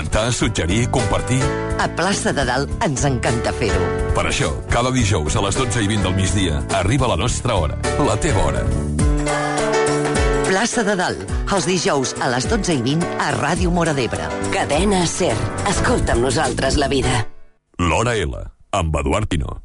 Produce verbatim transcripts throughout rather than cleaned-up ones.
comentar, suggerir, compartir... A Plaça de Dalt ens encanta fer-ho. Per això, cada dijous a les dotze i vint del migdia arriba la nostra hora, la teva hora. Plaça de Dalt, els dijous a les dotze i vint a Ràdio Móra d'Ebre. Cadena SER. Escolta amb nosaltres la vida. L'Hora L, amb Eduard Pino.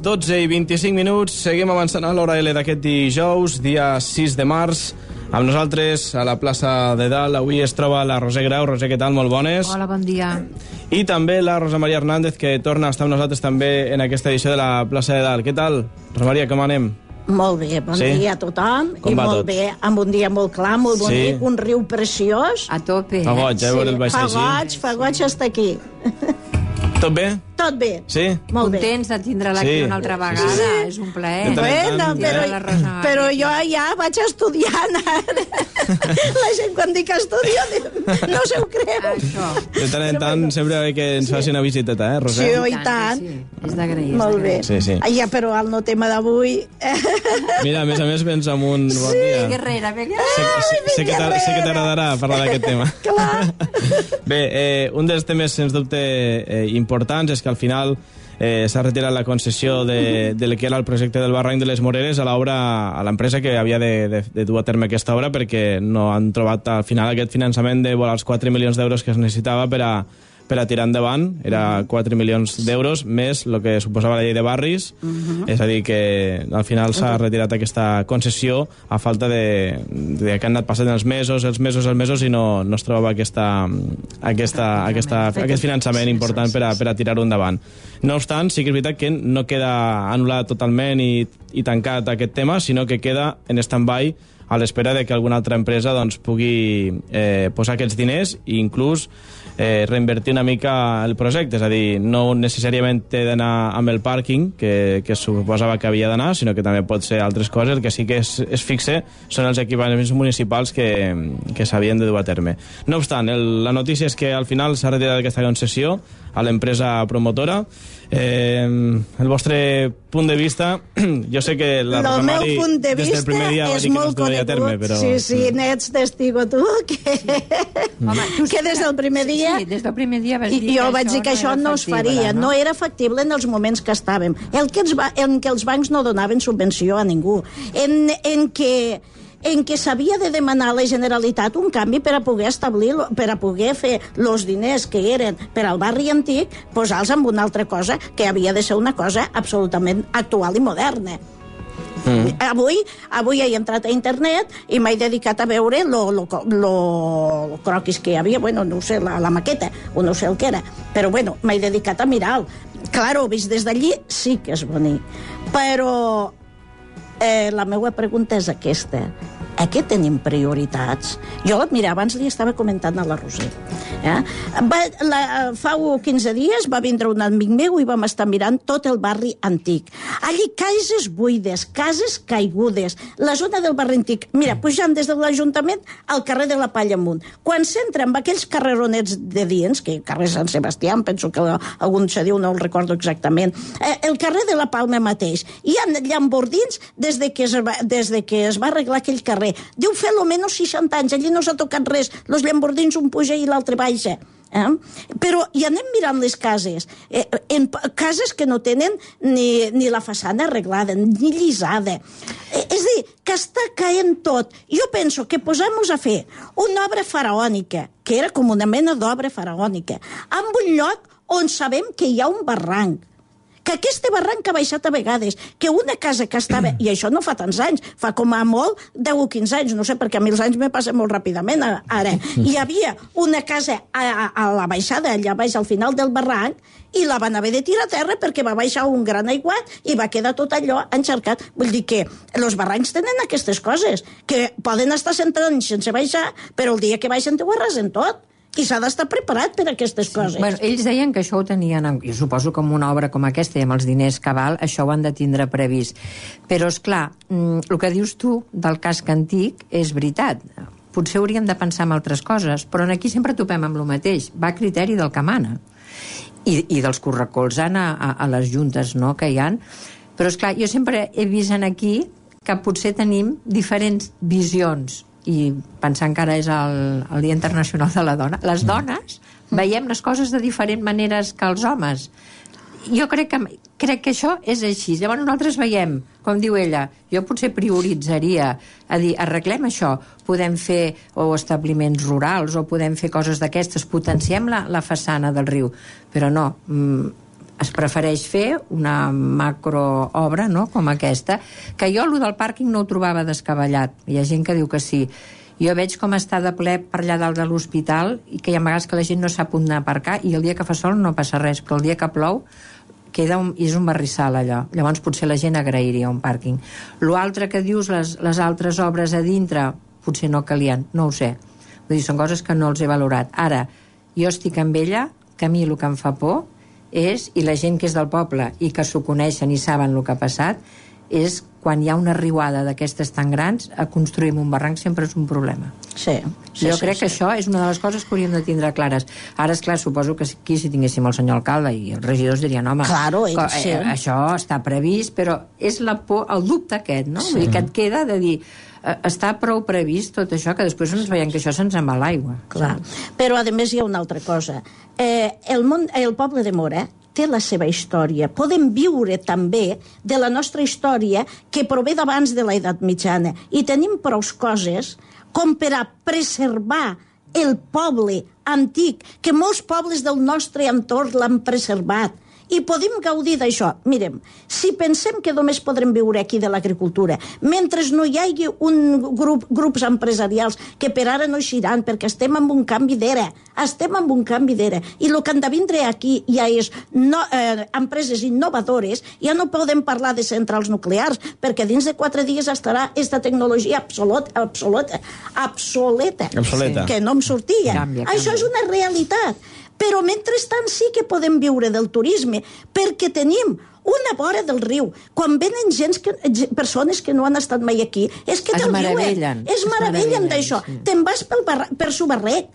dotze i vint-i-cinc minuts, seguim avançant a l'Hora L d'aquest dijous, dia sis de març. Amb nosaltres a la plaça de Dalt avui es troba la Roser Grau. Roser, què tal? Molt bones. Hola, bon dia. I també la Rosa Maria Hernández, que torna a estar amb nosaltres també en aquesta edició de la plaça de Dalt. Què tal? Rosa Maria, com anem? Molt bé, bon sí? dia a tothom. Com i molt tot? bé, amb un dia molt clar, molt bonic, sí. Un riu preciós. A tope. Fa goig, eh, veure el baix fa així. goig, fa goig estar aquí. Tot bé? Tot bé. Sí? Molt bé. Contents de tindre-la aquí Sí. una altra vegada. Sí, sí. És un plaer. Bueno, però, la Rosa Maria. però jo ja vaig estudiant ara. La gent quan dic estudio no se ho creu. Això. De tant en tant sempre ve que ens faci una visiteta, eh, Roser? Sí, i tant. Sí. És d'agrair. Molt bé. Sí, sí. Ah, ja, però el no tema d'avui... Mira, a més a més vens amb un bon Sí. dia. Guerrera, vinga. Sé, sé, sé que t'a- sé que t'agradarà parlar d'aquest tema. Clar. Bé, eh, un dels temes, sens dubte, eh, importants és que al final eh, s'ha retirat la concessió de, del que era el projecte del Barranc de les Moreres a l'obra, a l'empresa que havia de, de, de dur a terme aquesta obra, perquè no han trobat al final aquest finançament de volar els quatre milions d'euros que es necessitava per a per a tirar endavant. Era quatre milions d'euros més el que suposava la llei de barris. Uh-huh. És a dir, que al final s'ha retirat aquesta concessió a falta de, de que han anat passant els mesos, els mesos, els mesos, i no, no es trobava aquesta, aquesta, aquesta, aquest finançament important per a, per a tirar-ho endavant. No obstant, sí que és veritat que no queda anul·lat totalment i, i tancat aquest tema, sinó que queda en stand-by a l'espera de que alguna altra empresa doncs, pugui eh, posar aquests diners i inclús eh, reinvertir una mica el projecte. És a dir, no necessàriament té d'anar amb el pàrquing, que, que suposava que havia d'anar, sinó que també pot ser altres coses. El que sí que es, es fixe són els equipaments municipals que, que s'havien de dur a terme. No obstant, el, la notícia és que al final s'ha retirat aquesta concessió a l'empresa promotora. Eh, el vostre punt de vista, jo sé que la Rosa Mari de des del primer dia va dir que no es duria a terme, però... Sí, sí, n'ets testigo tu, que, Home, tu que des del primer dia... Sí, des del primer dia vas I dir jo que vaig dir que això no, no es faria, no? no era factible en els moments que estàvem, el que els, en què els bancs no donaven subvenció a ningú, en, en què en què s'havia de demanar a la Generalitat un canvi per a poder establir, per a poder fer els diners que eren per al barri antic, posar-los en una altra cosa que havia de ser una cosa absolutament actual i moderna. Mm. Avui, avui he entrat a internet i m'he dedicat a veure lo, lo, lo, lo croquis que hi havia, bueno, no sé, la, la maqueta, o no sé el que era, però bueno, m'he dedicat a mirar-lo. Claro, vist des d'allí sí que és bonic, però eh, la meva pregunta és aquesta. A què tenim prioritats? Jo, mira, abans li estava comentant a la Roser. Eh? Va, la, fa quinze dies va vindre un amic meu i vam estar mirant tot el barri antic. Allí cases buides, cases caigudes, la zona del barri antic. Mira, pujant des de l'Ajuntament al carrer de la Palla amunt. Quan s'entra amb aquells carreronets de dins, que carrer Sant Sebastià, penso que algun se diu, no el recordo exactament, eh, el carrer de la Palma mateix, hi ha llambordins des de que es va, des de que es va arreglar aquell carrer. Deu fer almenys seixanta anys, allí no s'ha tocat res, els llambordins un puja i l'altre baixa. Eh? Però hi anem mirant les cases, eh, en cases que no tenen ni, ni la façana arreglada, ni llisada. Eh, és a dir, que està caent tot. Jo penso que posem-nos a fer una obra faraònica, que era com una mena d'obra faraònica, en un lloc on sabem que hi ha un barranc, que aquest barranc ha baixat a vegades, que una casa que estava, i això no fa tants anys, fa com a molt deu o quinze anys, no sé, perquè a mi els anys me passen molt ràpidament ara, hi havia una casa a, a, a la baixada, allà baix al final del barranc, i la van haver de tirar a terra perquè va baixar un gran aiguat i va quedar tot allò encharcat. Vull dir que els barrancs tenen aquestes coses, que poden estar cent anys sense baixar, però el dia que baixen t'ho arrasen tot. I s'ha d'estar preparat per a aquestes coses. Bueno, ells deien que això ho tenien, jo suposo que amb una obra com aquesta i amb els diners que val, això ho han de tindre previst. Però, és clar, el que dius tu del casc antic és veritat. Potser hauríem de pensar en altres coses, però aquí sempre topem amb el mateix. Va a criteri del que mana. I, i dels que ho recolzen a, a, a les juntes, no?, que hi ha. Però, és clar, jo sempre he vist aquí que potser tenim diferents visions, i pensant que ara és el, el Dia Internacional de la Dona, les dones veiem les coses de diferents maneres que els homes. Jo crec que, crec que això és així. Llavors nosaltres veiem, com diu ella, jo potser prioritzaria a dir, arreglem això, podem fer o establiments rurals o podem fer coses d'aquestes, potenciem la, la façana del riu, però no, mm, es prefereix fer una macroobra, no?, com aquesta, que jo allò del pàrquing no ho trobava descabellat. Hi ha gent que diu que sí. Jo veig com està de ple per allà dalt de l'hospital i que hi ha vegades que la gent no sap on aparcar i el dia que fa sol no passa res, però el dia que plou queda un, és un barrissal allò. Llavors potser la gent agrairia un pàrquing. L'altre que dius, les, les altres obres a dintre, potser no calien, no ho sé. Vull dir, són coses que no els he valorat. Ara, jo estic amb ella, que a mi el que em fa por és, i la gent que és del poble i que s'ho coneixen i saben el que ha passat, és quan hi ha una riuada d'aquestes tan grans, a construir un barranc sempre és un problema. Sí. sí jo sí, crec sí. que això és una de les coses que hauríem de tindre clares. Ara, és clar, suposo que aquí si tinguéssim el senyor alcalde i els regidors dirien, home, claro, ell, co- sí. eh, això està previst, però és la por, el dubte aquest, no? Sí. Vull dir que et queda de dir, eh, està prou previst tot això, que després ens veiem que això se'ns en va l'aigua. Clar. Però, a més, hi ha una altra cosa. Eh, el, món, el poble de Mora té la seva història. Podem viure també de la nostra història que prové d'abans de l'edat mitjana i tenim prou coses com per a preservar el poble antic, que molts pobles del nostre entorn l'han preservat. I podem gaudir d'això. Mirem, si pensem que només podrem viure aquí de l'agricultura, mentre no hi hagi un grup, grups empresarials que per ara no eixiran, perquè estem en un canvi d'era, estem en un canvi d'era, i el que han de vindre aquí ja és no, eh, empreses innovadores, ja no podem parlar de centrals nuclears, perquè dins de quatre dies estarà aquesta tecnologia absoluta, absoluta, obsoleta, Obsoleta. que no em sortia. Canvia, Això canvia. és una realitat. Però mentrestant sí que podem viure del turisme, perquè tenim una vora del riu. Quan venen gens que, persones que no han estat mai aquí, és que Es te'l meravellen. diuen. Es Es meravellen meravellen, d'això. sí. Te'n vas pel barra, per Subarrec,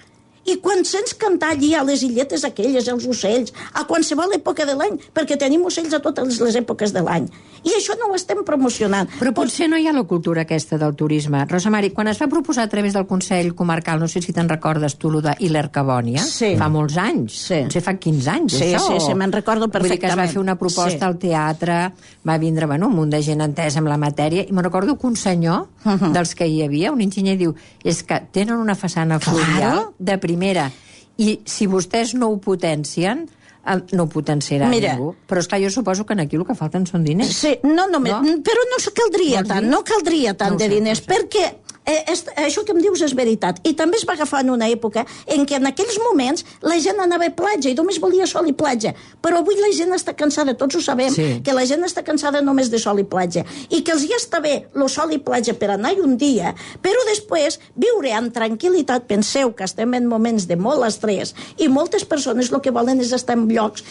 i quan sents cantar allí a les illetes aquelles, els ocells, a qualsevol època de l'any, perquè tenim ocells a totes les èpoques de l'any. I això no ho estem promocionant. Però potser no hi ha la cultura aquesta del turisme. Rosa Mari, quan es va proposar a través del Consell Comarcal, no sé si te'n recordes tu, lo de Hiler Cabònia, Sí. fa molts anys, Sí. potser fa quinze anys, Sí, això. sí, sí, me'n recordo Vull dir que es va perfectament. fer una proposta Sí. al teatre, va vindre, bueno, un munt de gent entesa amb la matèria, i me'n recordo que un senyor, Uh-huh. dels que hi havia, un enginyer, diu, és que tenen una façana fluvial Claro. de primera, i si vostès no ho potencien, eh, no ho potenciarà Mira. ningú. Però, esclar, jo suposo que aquí el que falten són diners. Sí, no només, No? no? però no caldria Vols tant, dir? no caldria tant No ho de sé, diners, no ho sé. perquè eh, és, això que em dius és veritat. I també es va agafar en una època en què en aquells moments la gent anava a platja i només volia sol i platja. Però avui la gent està cansada, tots ho sabem, Sí. que la gent està cansada només de sol i platja. I que els ja està bé el sol i platja per anar un dia, però després viure amb tranquil·litat. Penseu que estem en moments de molt estrès i moltes persones el que volen és estar en llocs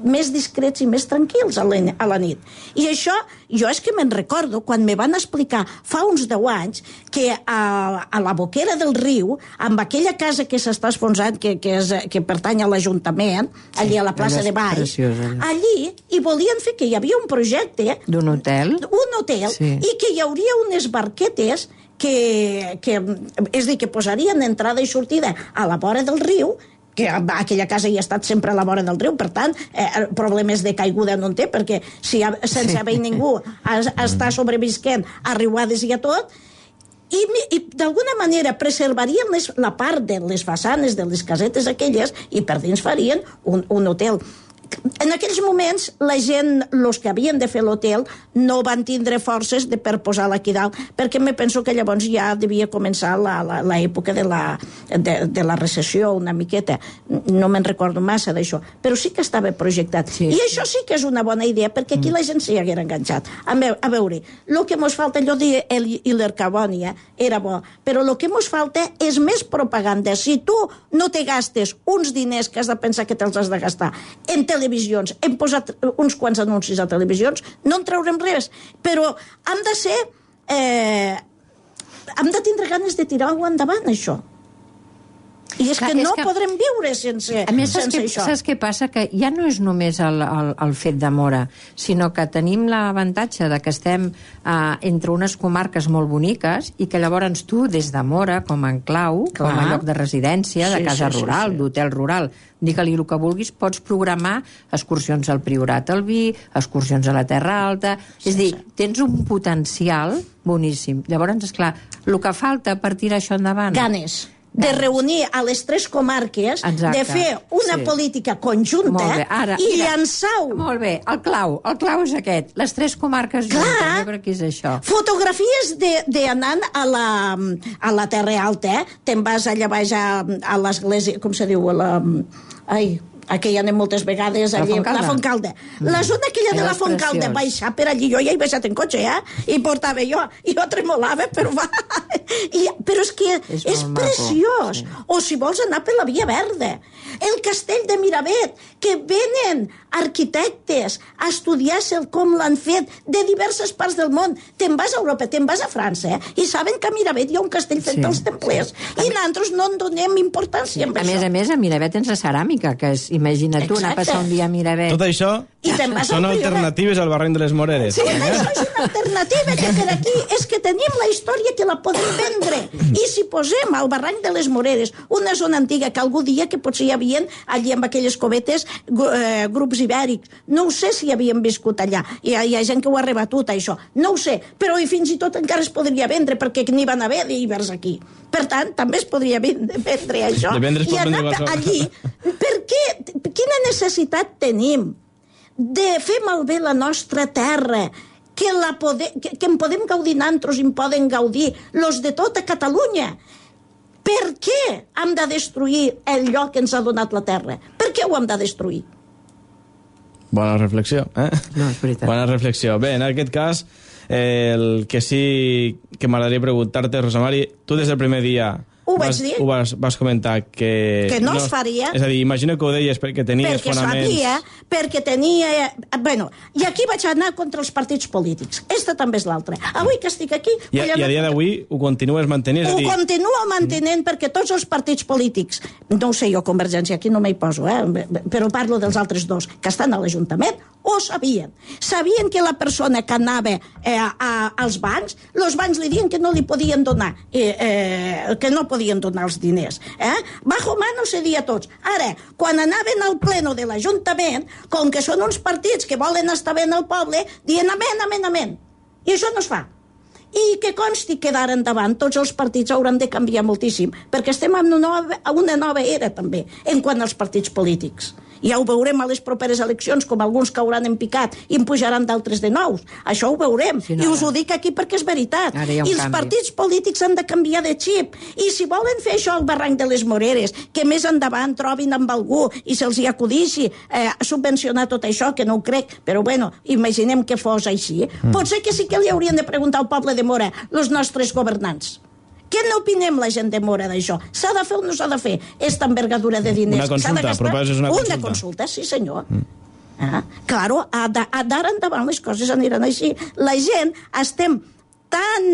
més discrets i més tranquils a la, a la nit. I això, jo és que me'n recordo, quan me van explicar fa uns deu anys que a, a la boquera del riu, amb aquella casa que s'està esfonsant, que, que, és, que pertany a l'Ajuntament, allí a la plaça allò és de Baix, preciós, allò. allí hi volien fer que hi havia un projecte D'un hotel? un hotel, Sí. i que hi hauria unes barquetes que, que, és a dir, que posarien entrada i sortida a la vora del riu, que aquella casa hi ha estat sempre a la vora del riu, per tant, eh, problemes de caiguda no en té, perquè si ha, sense haver ningú es, està sobrevisquent a riuades i a tot, i, i d'alguna manera preservarien les, la part de les façanes de les casetes aquelles i per dins farien un, un hotel. En aquells moments, la gent, els que havien de fer l'hotel, no van tindre forces de per posar-la aquí dalt, perquè me penso que llavors ja devia començar l'època de la, de, de la recessió una miqueta. No me'n recordo massa d'això, però sí que estava projectat. Sí. I això sí que és una bona idea, perquè aquí la gent s'hi haguera enganxat. A, meu, a veure, el que ens falta, allò de l'Hercabònia era bo, però el que ens falta és més propaganda. Si tu no te gastes uns diners que has de pensar que te'ls has de gastar en televisions, hem posat uns quants anuncis a televisions, no en traurem res, però hem de ser... Eh, hem de tindre ganes de tirar-ho endavant, això. I és Clar, que no és que... podrem viure sense, a més, sense saps això. Saps què passa? Que ja no és només el, el, el fet de Móra, sinó que tenim l'avantatge de que estem eh, entre unes comarques molt boniques i que llavors tu, des de Móra, com a enclau, Clar. com a lloc de residència, de sí, casa sí, rural, sí, sí. d'hotel rural, digue-li el que vulguis, pots programar excursions al Priorat al Vi, excursions a la Terra Alta... Sí, és a dir, sí. tens un potencial boníssim. Llavors, esclar, el que falta per tirar això endavant... Ganes. de reunir a les tres comarques, Exacte. de fer una sí. política conjunta Ara, i mira, llançar-ho. Molt bé, el clau, el clau és aquest, les tres comarques Clar, juntes, jo crec que és això. Fotografies d'anar a, la, a la Terra Alta, eh? Te'n vas allà baix a, a l'església, com se diu, a la... Ai... a què hi anem moltes vegades, la allí, Fontcalda. La Fontcalda. Mm. La zona aquella de la Fontcalda, baixar per allí, jo ja he baixat en cotxe, eh? I portava jo, i jo tremolava, però va... I, però és que és, és preciós. Sí. O si vols anar per la Via Verda. El castell de Miravet, que venen arquitectes a estudiar-se com l'han fet de diverses parts del món. Te'n vas a Europa, te'n vas a França, eh? I saben que a Miravet hi ha un castell fet sí. dels templers. Sí. I nosaltres no en donem importància amb a això. A més a més, a Miravet tens la ceràmica, que és, imagina't tu, anar a passar un dia a Miravet. Tot això són alternatives al barranc de les Moreres. Sí, eh? Això és una alternativa que per aquí és que tenim la història que la podem vendre. I si posem al barranc de les Moreres una zona antiga que algú dia que potser hi havia allí amb aquelles covetes eh, grups ibèrics, no ho sé si havien viscut allà, hi ha, hi ha gent que ho ha rebatut això, no ho sé, però i fins i tot encara es podria vendre perquè n'hi van haver d'ibers aquí, per tant també es podria vendre, vendre això i anar allí, perquè quina necessitat tenim de fer malbé la nostra terra, que, la pode, que, que en podem gaudir nosaltres i en poden gaudir los de tota Catalunya. Per què hem de destruir el lloc que ens ha donat la terra? Per què ho hem de destruir? Bona reflexió, eh? No, és veritat. Bona reflexió. Bé, en aquest cas, eh, el que sí que m'agradaria preguntar-te, Rosa Mari, tu des del primer dia ho vas, vaig dir. Ho vas, vas comentar que... Que no, no es faria. És a dir, imagino que ho deies perquè tenies perquè fonaments... Perquè sabia, perquè tenia... Bueno, i aquí vaig anar contra els partits polítics. Esta també és l'altra. Avui que estic aquí... I, i a dia d'avui ho continues mantenint? Ho dir... continuo mantenint mm. perquè tots els partits polítics, no ho sé jo, Convergència, aquí no m'hi poso, eh? Però parlo dels altres dos, que estan a l'Ajuntament, ho sabien. Sabien que la persona que anava eh, a, als bancs, els bancs li diuen que no li podien donar, eh, eh, que no podien donar els diners. Eh? Bajo mano cedia tots. Ara, quan anaven al pleno de l'Ajuntament, com que són uns partits que volen estar bé al poble, diuen amén, amén, amén. I això no es fa. I que consti que d'ara endavant tots els partits hauran de canviar moltíssim, perquè estem en una nova, una nova era també, en quant als partits polítics. Ja ho veurem a les properes eleccions, com alguns cauran en picat i en pujaran d'altres de nous. Això ho veurem. Sí, no, I us ho dic aquí perquè és veritat. I els canvi. partits polítics han de canviar de xip. I si volen fer això al barranc de les Moreres, que més endavant trobin amb algú i se'ls hi acudixi eh, subvencionar tot això, que no ho crec, però bueno, imaginem que fos així. Mm. Potser que sí que li haurien de preguntar al poble de Móra, els nostres governants. Què n'opinem la gent de Móra d'això? S'ha de fer o no s'ha de fer? Esta envergadura de diners. Una consulta, proposes una consulta. Una consulta, sí senyor. Mm. Ah, claro, d'ara endavant les coses aniran així. La gent estem tan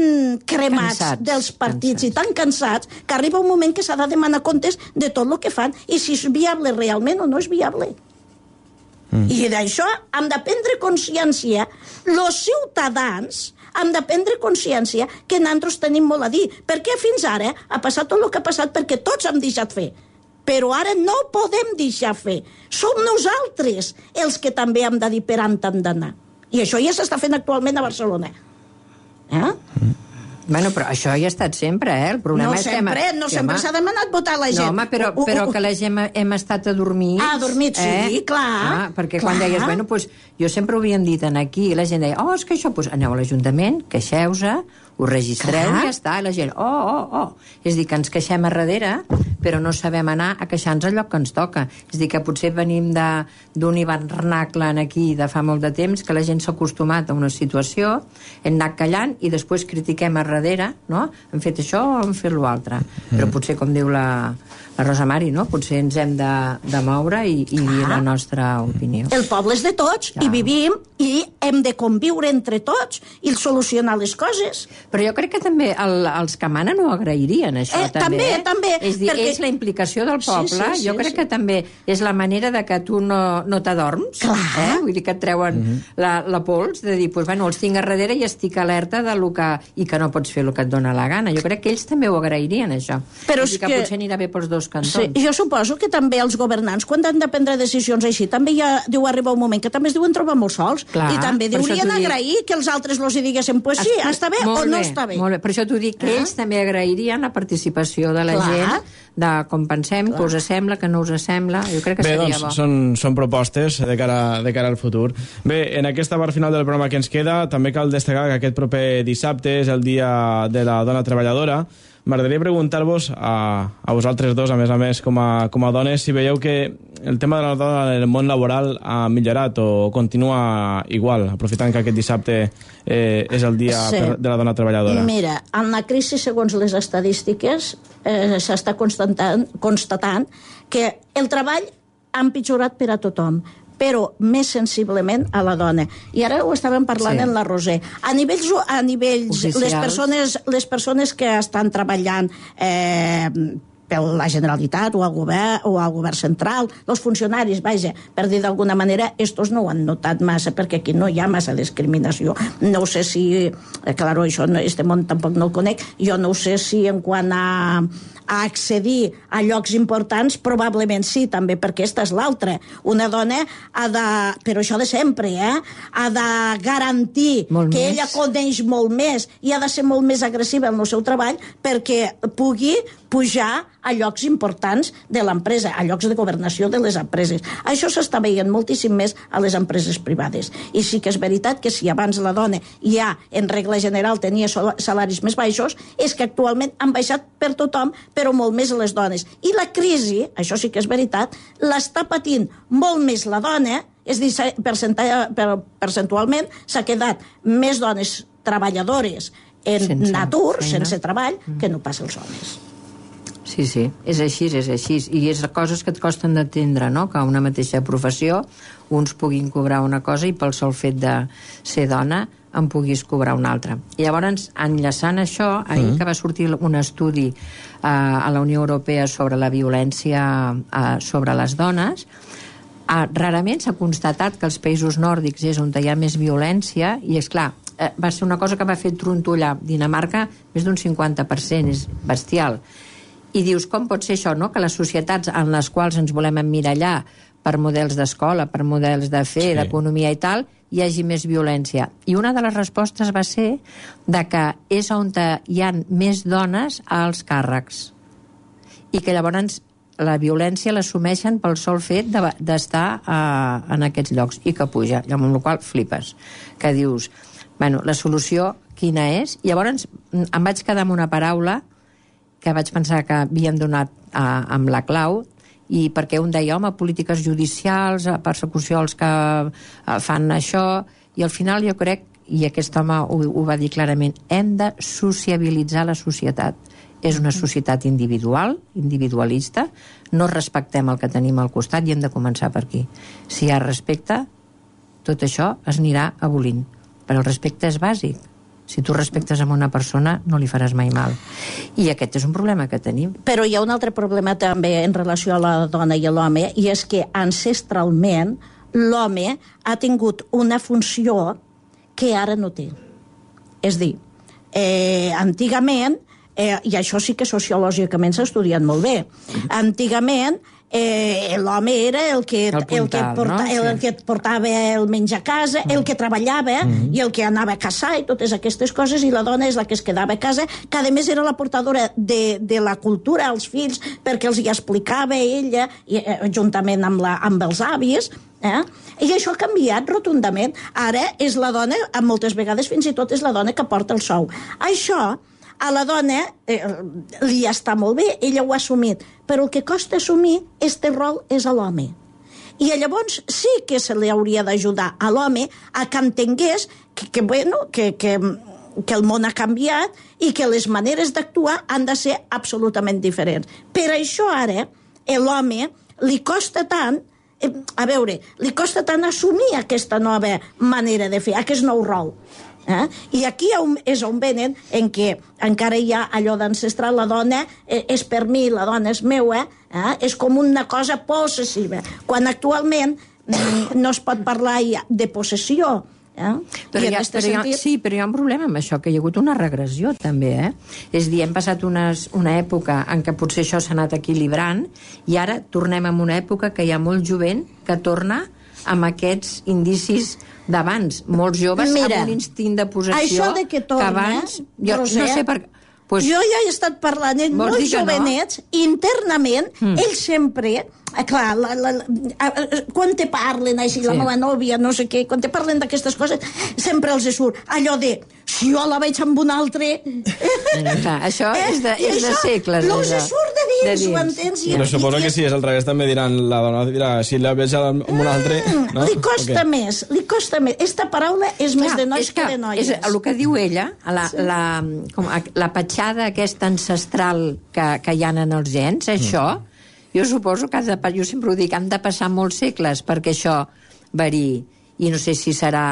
cremats cansats, dels partits cansats. i tan cansats que arriba un moment que s'ha de demanar comptes de tot el que fan i si és viable realment o no és viable. Mm. I d'això hem de prendre consciència els ciutadans hem de prendre consciència que nosaltres tenim molt a dir, perquè fins ara ha passat tot el que ha passat perquè tots hem deixat fer, però ara no podem deixar fer, som nosaltres els que també hem de dir per on hem d'anar, i això ja s'està fent actualment a Barcelona. Eh? Bueno, però això ja ha estat sempre, eh? El problema no és sempre, que... no sempre s'ha demanat votar la gent. No, home, però, però que la gent hem estat adormits... Ah, adormits, eh? sí, clar. Ah, perquè clar. quan deies, bueno, pues, jo sempre ho havien dit aquí, i la gent deia, oh, és que això, pues, aneu a l'Ajuntament, queixeu-se, ho registreu clar. I ja està, i la gent, oh, oh, oh. És a dir, que ens queixem a darrere, però no sabem anar a queixar-nos al lloc que ens toca. És a dir, que potser venim d'un hivernacle aquí de fa molt de temps, que la gent s'ha acostumat a una situació, hem anat callant i després critiquem a darrere, no? Hem fet això o hem fet l'altre. Mm. Però potser, com diu la, la Rosa Mari, no? Potser ens hem de, de moure i, i dir la nostra opinió. El poble és de tots, ja. I vivim, i hem de conviure entre tots i solucionar les coses. Però jo crec que també el, els que manen ho agrairien, això, eh, també. També, també. És dir, perquè... és la implicació del poble. Sí, sí, sí, jo crec sí. que també és la manera de que tu no, no t'adorms. Eh? Vull dir que et treuen mm -hmm. la, la pols, de dir, pues, bueno, els tinc a darrere i estic alerta de lo que... i que no pots fer el que et dona la gana. Jo crec que ells també ho agrairien, això. Però és que, que potser anirà bé pels dos cantons. Sí, jo suposo que també els governants, quan han de prendre decisions així, també ja deu arribar un moment que també es diuen trobar molt sols. Clar, i també deurien agrair dic... que els altres els diguessin, pues sí, es... està bé o no bé, està bé. Molt bé, per això t'ho dic, que eh? ells també agrairien la participació de la Clar. gent, de com pensem, Clar. que us sembla, que no us sembla. Jo crec que bé, seria doncs, bo. Són, són propostes de cara, de cara al futur. Bé, en aquesta part final del programa que ens queda, també cal destacar que aquest proper dissabte és el Dia de la Dona Treballadora. M'agradaria preguntar-vos a, a vosaltres dos, a més a més, com a, com a dones, si veieu que el tema de la dona en el món laboral ha millorat o continua igual, aprofitant que aquest dissabte eh, és el Dia sí. de la Dona Treballadora. Mira, en la crisi, segons les estadístiques, eh, s'està constatant, constatant que el treball ha empitjorat per a tothom, però més sensiblement a la dona. I ara ho estàvem parlant sí. en la Roser. A nivells, a nivells les, persones, les persones que estan treballant eh, per la Generalitat o al govern, o al govern central, els funcionaris, vaja, per dir d'alguna manera, estos no ho han notat massa, perquè aquí no hi ha massa discriminació. No sé si... Clar, això, este món tampoc no el conec. Jo no sé si en quant a... a accedir a llocs importants, probablement sí, també, perquè esta és l'altra. Una dona ha de, però això de sempre, eh? ha de garantir molt que més. Ella coneix molt més i ha de ser molt més agressiva en el seu treball perquè pugui pujar a llocs importants de l'empresa, a llocs de governació de les empreses. Això s'està veient moltíssim més a les empreses privades. I sí que és veritat que si abans la dona ja, en regla general, tenia salaris més baixos, és que actualment han baixat per tothom, però molt més les dones. I la crisi, això sí que és veritat, l'està patint molt més la dona, és a dir, percentualment s'ha quedat més dones treballadores en sense natur, feina. sense treball, que no passa els homes. Sí, sí, és així, és així. I és coses que et costen d'entendre, no? Que una mateixa professió uns puguin cobrar una cosa i pel sol fet de ser dona en puguis cobrar una altra. I llavors, enllaçant això, ahir mm. que va sortir un estudi eh, a la Unió Europea sobre la violència eh, sobre les dones, eh, rarament s'ha constatat que als països nòrdics és on hi ha més violència, i és clar, eh, va ser una cosa que va fer trontollar Dinamarca més d'un cinquanta per cent, és bestial. I dius, com pot ser això, no? Que les societats en les quals ens volem emmirallar per models d'escola, per models de fer, sí. d'economia i tal, hi hagi més violència. I una de les respostes va ser de que és on hi ha més dones als càrrecs. I que llavors la violència l'assumeixen pel sol fet d'estar de, uh, en aquests llocs i que puja, amb la qual flipes. Que dius, bueno, la solució quina és? I llavors em vaig quedar amb una paraula que vaig pensar que havíem donat uh, amb la clau, i perquè un deia, home, polítiques judicials, persecució als que uh, fan això, i al final jo crec, i aquest home ho, ho va dir clarament, hem de sociabilitzar la societat. És una societat individual, individualista, no respectem el que tenim al costat i hem de començar per aquí. Si hi ha respecte, tot això es anirà abolint. Però el respecte és bàsic. Si tu respectes a una persona, no li faràs mai mal. I aquest és un problema que tenim. Però hi ha un altre problema també en relació a la dona i a l'home, i és que ancestralment l'home ha tingut una funció que ara no té. És dir, eh, antigament, eh, i això sí que sociològicament s'ha estudiat molt bé, antigament eh, l'home era el que, el, puntal, el, que porta, no? sí. el, el que portava el menjar a casa, mm. el que treballava mm. i el que anava a caçar i totes aquestes coses, i la dona és la que es quedava a casa, que a més era la portadora de, de la cultura als fills, perquè els hi explicava ella, i, eh, juntament amb, la, amb els avis, eh? I això ha canviat rotundament. Ara és la dona, moltes vegades fins i tot és la dona que porta el sou. Això a la dona eh, li està molt bé, ella ho ha assumit, però el que costa assumir este rol és a l'home. I llavors sí que se li hauria d'ajudar a l'home a que entengués que, que, bueno, que, que, que el món ha canviat i que les maneres d'actuar han de ser absolutament diferents. Per això ara l'home li costa tant, a veure, li costa tant assumir aquesta nova manera de fer, aquest nou rol. Eh? I aquí és on venen en què encara hi ha allò d'ancestral, la dona és per mi, la dona és meua, eh? És com una cosa possessiva, quan actualment no es pot parlar de possessió. Eh? Però hi ha, però hi ha, sentit... Sí, però hi ha un problema amb això, que hi ha hagut una regressió també, eh? És a dir, hem passat unes, una època en què potser això s'ha anat equilibrant i ara tornem a una època que hi ha molt jovent que torna amb aquests indicis d'abans, molts joves. Mira, amb un instint de possessió això de que, torna, que abans... Jo Roser, no sé per... Pues, jo ja he estat parlant amb molts jovenets, no? Internament, mm. ells sempre... Clar, la, la, la, quan te parlen així, sí. La meva nòvia, no sé què, quan te parlen d'aquestes coses, sempre els surt allò de, si jo la veig amb un altre... Clar, això eh? és, de, és de segles. No els surt de dins, de dins. Ho entens? Però suposo que si és al revés també diran, la dona dirà, si la veig amb un altre... No? Li costa okay. més, li costa més. Esta paraula és Clar, més de nois que, que de noies. És el que diu ella, la, sí. la, com, la petjada aquesta ancestral que, que hi ha en els gens, això... Mm. Jo suposo que, de, jo sempre ho dic, han de passar molts segles perquè això variï. I no sé si serà,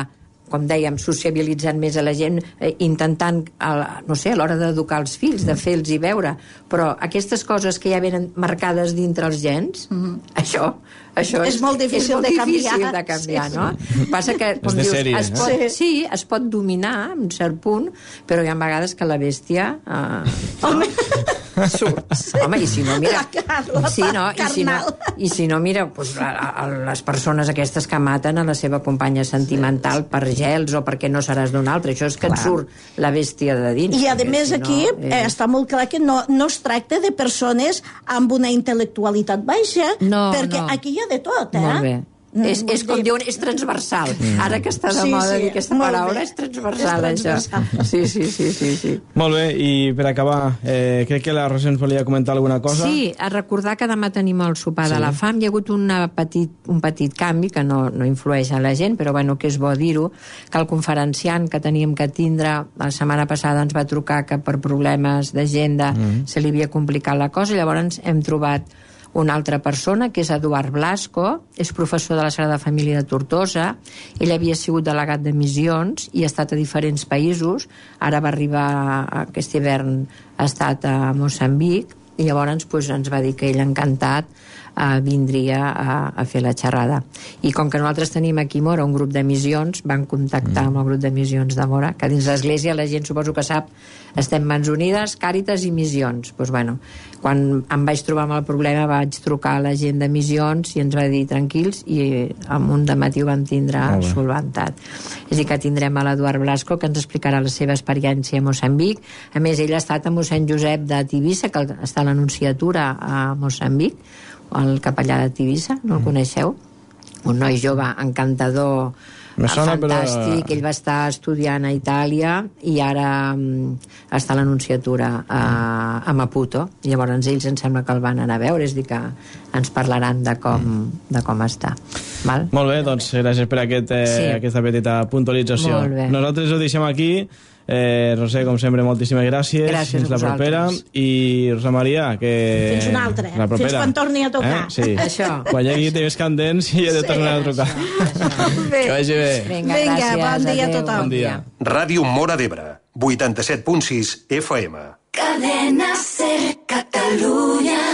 com dèiem, sociabilitzant més a la gent, eh, intentant, a, no sé, a l'hora d'educar els fills, de fer-los i veure. Però aquestes coses que ja venen marcades dintre els gens, mm-hmm. això... Això és, és molt difícil, és molt de, difícil canviar. de canviar, sí, no? Sí. Passa que, com dius, sèrie, es pot, eh? sí, es pot dominar en cert punt, però hi ha vegades que la bèstia eh, Home. No? surt. Sí. Home, i si no, mira... La, la sí, no? I si no, i si no, mira, pues, a, a, les persones aquestes que maten a la seva companya sentimental per gels o perquè no seràs d'un altre, això és que clar. Et surt la bèstia de dins. I a més si aquí no, eh... està molt clar que no, no es tracta de persones amb una intel·lectualitat baixa, no, perquè no. Aquí hi ha de tot, eh? Molt bé. Mm, és, és com diuen, és transversal. Mm. Ara que està de sí, moda sí, dir aquesta paraula, és transversal, és transversal, això. Sí, sí, sí, sí, sí. Molt bé, i per acabar, eh, crec que la Roser ens volia comentar alguna cosa. Sí, a recordar que demà tenim el sopar sí. de la fam. Hi ha hagut una petit, un petit canvi que no, no influeix en la gent, però bueno, que és bo dir-ho, que el conferenciant que teníem que tindre la setmana passada ens va trucar que per problemes d'agenda mm. se li havia complicat la cosa, llavors hem trobat una altra persona, que és Eduard Blasco, és professor de la Sagrada Família de Tortosa. Ell havia sigut delegat de missions i ha estat a diferents països. Ara va arribar, aquest hivern ha estat a Moçambic, i llavors pues, ens va dir que ell encantat eh, vindria a, a fer la xerrada. I com que nosaltres tenim aquí a Mora un grup de missions, van contactar amb el grup de missions de Mora, que dins l'església la gent suposo que sap, estem Mans Unides, Càritas i Missions. Pues, bueno, quan em vaig trobar amb el problema vaig trucar a la gent de missions i ens va dir tranquils, i amb un dematí ho vam tindre solventat. És a dir, que tindrem a l'Eduard Blasco, que ens explicarà la seva experiència a Moçambic. A més, ell ha estat a mossèn Josep de Tivissa, que està a l'anunciatura a Moçambic, el capellà de Tivissa, no el coneixeu? Un noi jove encantador, sona, fantàstic, però... ell va estar estudiant a Itàlia i ara um, està a l'anunciatura a, a Maputo, i llavors ells em sembla que el van anar a veure, és a dir que ens parlaran de com, de com està. Val? Molt bé, doncs gràcies per aquest, eh, sí. aquesta petita puntualització. Nosaltres ho deixem aquí. Eh, Roser, com sempre, moltíssimes gràcies. Gràcies fins la propera. I Rosa Maria, que... Fins una altra, eh? Fins quan torni a tocar. Eh? Sí. Això. Quan hi hagi temes candents i he de tornar a trucar. Això, això. Que vagi bé. Vinga, Vinga gràcies. Bon dia a tothom. Bon dia. Ràdio Móra d'Ebre, vuitanta-set punt sis F M. Cadena Ser Catalunya.